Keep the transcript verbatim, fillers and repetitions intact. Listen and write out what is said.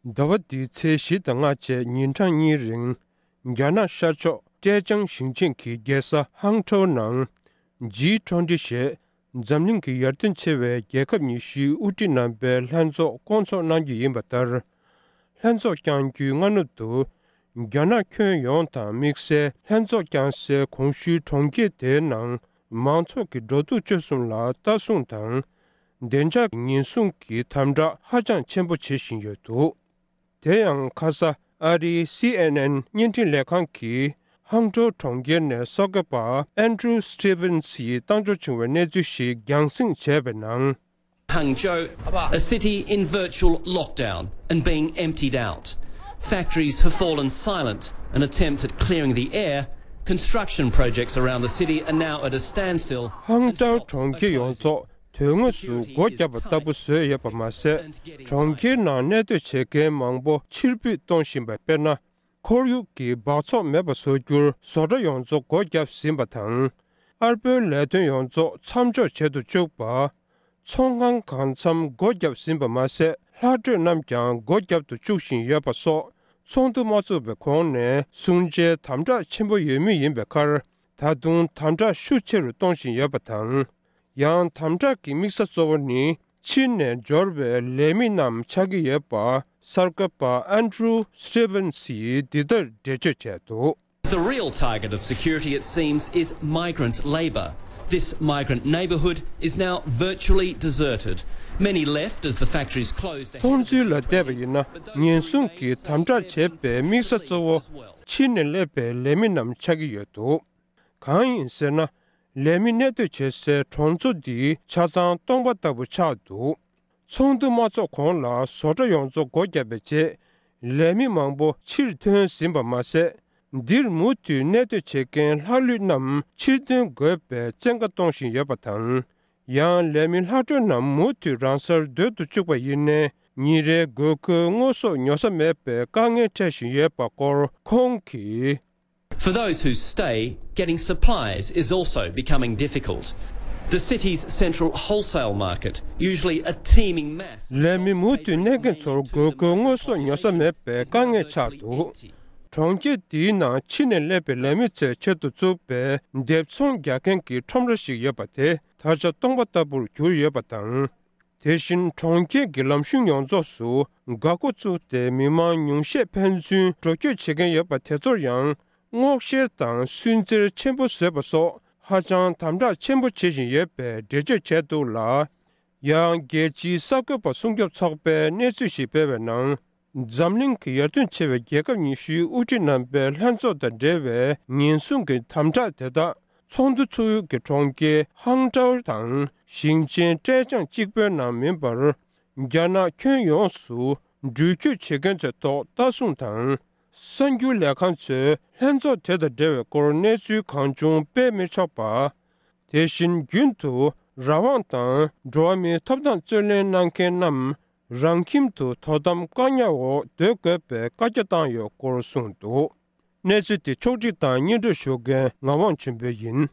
ཟླ་བ་འདིའི་ཚེས་བཞི་དང་ལྔ་བཅས་ཉིན་གྲངས་གཉིས་རིང་། རྒྱ་ནག་ཤར་ཕྱོགས་ཀྲེ་ཅང་ཞིང་ཆེན་གྱི་རྒྱལ་ས་ཧང་ཀྲོའུ་ནང་། ཇི་ཊུ་ཝེན་ཊི་ཞེས་འཛམ་གླིང་གི་ཡར་ཐོན་ཆེ་བའི་རྒྱལ་ཁབ་ཉི་ཤུའི་དབུ་ཁྲིད་རྣམ་པའི་ལྷན་ཚོགས་བསྐོང་ཚོགས་གནང་རྒྱུ་ཡིན་པ་ལྟར། ལྷན་ཚོགས་བསྐྱང་རྒྱུའི་སྔ་ནུབ་ཏུ། རྒྱ་ནག་ཁྱོན་ཡོངས་དང་དམིགས་བསལ་ལྷན་ཚོགས་བསྐྱང་སའི་གོང་ཞུས་གྲོང་ཁྱེར་དེའི་ནང་མང་ཚོགས་ཀྱི་འགྲོ་འདུག་སྤྱོད་གསུམ་ལ་ལྟ་སྲུང་དང་། བདེ་འཇགས་ཉེན་སྲུང་གི་དམ་དྲག་ཧ་ཅང་ཆེན་པོ་བྱེད་བཞིན་ཡོད་འདུག་དེ་ཡང་ཁ་ས་ཨ་རིའི་སི་ཨེན་ཨེན་བརྙན་འཕྲིན་ལས་ཁང་གིས་ཧང་ཀྲོའུ་གྲོང་ཁྱེར་ནས་གསར་འགོད་པ་ཨན་ཌྲུ་སི་ཊི་ཝེན་སི་ཡིས་བཏང་འབྱོར་བྱུང་བའི་གནས་ཚུལ་ཞིག་རྒྱང་སྲིང་བྱས་པའི་ནང་། Hangzhou, a city in virtual lockdown and being emptied out. Factories have fallen silent, an attempt at clearing the air. Construction projects around the city are now at a standstill. ཧང་ཀྲོའུ་གྲོང་ཁྱེར་ཡོངས་རྫོགས་དོན་དངོས་སུ་སྒོ་བརྒྱབ་པ་ལྟ་བུ་བཟོས་ཡོད་པ་མ་ཟད། གྲོང་ཁྱེར་ནང་གནས་སྡོད་བྱེད་མཁན་མང་པོ་ཕྱིར་འབུད་གཏོང་བཞིན་པ་དཔེར་ན། ཁོར་ཡུག་གི་འབག་བཙོག་མེད་པ་བཟོ་རྒྱུར་བཟོ་གྲྭ་ཡོངས་རྫོགས་སྒོ་བརྒྱབ་ཟིན་པ་དང་། ཨར་པོའི་ལས་དོན་ཡོངས་རྫོགས་མཚམས་འཇོག་བྱེད་དུ་བཅུག་པ། ཚོང་ཁང་གང་འཚམ་སྒོ་བརྒྱབ་ཟིན་པ་མ་ཟད། ལྷག་འཕྲོས་རྣམས་ཀྱང་སྒོ་བརྒྱབ་ཏུ་བཅུག་བཞིན་ཡོད་པ་སོགས། ཚོགས་འདུ་མ་ཚོགས་པའི་གོང་ནས་སྲུང་བྱའི་དམ་དྲག་ཆེན་པོ་ཡོད་མུས་ཡིན་པའི་ཁར། ད་དུང་དམ་དྲག་ཤུགས་ཆེ་རུ་གཏོང་བཞིན་ཡོད་པ་དང་། ཡང་དམ་དྲག་གི་དམིགས་ས་གཙོ་བོ་ནི། ཕྱིར་ནས་འབྱོར་བའི་ལས་མི་རྣམས་ཆགས་ཀྱི་ཡོད་པ། གསར་འགོད་པ་ཨན་ཌྲུ་སི་ཊི་ཝེན་སི་ཡིས་འདི་ལྟར་འགྲེལ་བརྗོད་བྱས་འདུག The real target of security, it seems, is migrant labour. This migrant neighbourhood is now virtually deserted. Many left as the factories closed ahead of མཐོང་ཚུལ་ལ་བལྟས་པ་ཡིན་ན། ཉེན་སྲུང་གི་དམ་དྲག་བྱེད་པའི་དམིགས་ས་གཙོ་བོ། ཕྱིར་ནས་སླེབས་པའི་ལས་མི་རྣམས་ཆགས་ཀྱི་ཡོད་འདུག་གང་ཡིན་ཟེར་ན། ལས་མི་གནས་སྡོད་བྱེད་སའི་གྲོང་ཚོ་འདི་ཆ་ཚང་སྟོང་པ་ལྟ་བུ་ཆགས་འདུག་ཚོགས་འདུ་མ་ཚོགས་གོང་ལ་བཟོ་གྲྭ་ཡོངས་རྫོགས་སྒོ་བརྒྱབ་པའི་རྗེས། ལས་མི་མང་པོ་ཕྱིར་ཐོན་ཟིན་པ་མ་ཟད། འདིར་མུ་མཐུད་གནས་སྡོད་བྱེད་མཁན་ལྷག་ལུས་རྣམས་ཕྱིར་འདོན་དགོས་པའི་བཙན་བཀའ་གཏོང་བཞིན་ཡོད་པ་དང་། ཡང་ལས་མི་ལྷག་འཕྲོས་རྣམས་མུ་མཐུད་རང་སར་སྡོད་དུ་བཅུག་པ་ཡིན་ནའི། ཉིན་རེའི་དགོས་མཁོའི་དངོས་ཟོག་ཉོ་ས་མེད་པའི་དཀའ་ངལ་འཕྲད་བཞིན་ཡོད་པ་སྐོར་ཁོང་གིས། For those who stay, getting supplies is also becoming difficult. The city's central wholesale market, usually a teeming mass. ལས་མི་མུ་མཐུད་གནས་མཁན་ཚོར་དགོས་མཁོའི་དངོས་ཟོག་ཉོ་ས་མེད་པའི་དཀའ་ངལ་ཆགས་འདུག་གྲོང་ཁྱེར་འདིའི་ནང་ཕྱི་ནས་སླེབས་པའི་ལས་མི་ཚོའི་ཆེད་དུ་བཙུགས་པའི་འདེབས་ཚོང་རྒྱག་མཁན་གྱི་ཁྲོམ་ར་ཞིག་ཡོད་པ་དེ་ད་ཆ་སྟོང་པ་ལྟ་བུར་གྱུར་ཡོད་པ་དང་། དེ་བཞིན་གྲོང་ཁྱེར་གྱི་ལམ་གཞུང་ཡོངས་རྫོགས་སུ་འགག་སྒོ་བཙུགས་ཏེ། མི་མང་ཉུང་ཤས་ཕན་ཚུན་འགྲོ་སྐྱོད་བྱེད་མཁན་ཡོད་པ་དེ་ཚོར་ཡང་སྔོག་བཤེར་དང་སུན་གཙེར་ཆེན་པོ་བཟོས་པ་སོགས་ཧ་ཅང་དམ་དྲག་ཆེན་པོ་བྱེད་བཞིན་ཡོད་པའི་འགྲེལ་བརྗོད་བྱས་འདུག་ལ། ཡང་རྒྱལ་སྤྱིའི་གསར་འགོད་པ་སྲུང་སྐྱོབ་ཚོགས་པས་གནས་ཚུལ་ཞིག་སྤེལ་བའི་ནང་། འཛམ་གླིང་གི་ཡར་ཐོན་ཆེ་བའི་རྒྱལ་ཁབ་ཉི་ཤུའི་དབུ་ཁྲིད་རྣམ་པའི་ལྷན་ཚོགས་དང་འབྲེལ་བའི་ཉེན་སྲུང་གི་དམ་དྲག་དེ་དག་ཚོགས་འདུ་ཚུགས་ཡུལ་གྱི་གྲོང་ཁྱེར་ཧང་ཀྲའོ་དང་ཞིང་ཆེན་ཀྲེ་ཅང་གཅིག་པུའི་ནང་མིན་པར། རྒྱ་ནག་ཁྱོན་ཡོངས་སུ་འགྲུལ་སྐྱོད་བྱེད་མཁན་ཚོའི་ཐོག་ལྟ་སྲུང་དང་། གསར་འགྱུར་ལས་ཁང་ཚོས་ལྷན་ཚོགས་དེ་དང་འབྲེལ་བའི་སྐོར་གནས་ཚུལ་གང་བྱུང་སྤེལ་མི་ཆོག་པ། དེ་བཞིན་རྒྱུན་དུ་རང་དབང་དང་འགྲོ་བ་མིའི་ཐོབ་ཐང་རྩོད་ལེན་གནང་མཁན་རྣམས། རང་ཁྱིམ་དུ་དོ་དམ་བཀག་ཉར་འོག་སྡོད་དགོས་པའི་བཀའ་རྒྱ་བཏང་ཡོད་སྐོར་གསུངས་འདུག་གནས་ཚུལ་དེ་ཕྱོགས་སྒྲིག་དང་སྙན་སྒྲོན་ཞུ་མཁན་ངག་དབང་ཆོས་འཕེལ་ཡིན།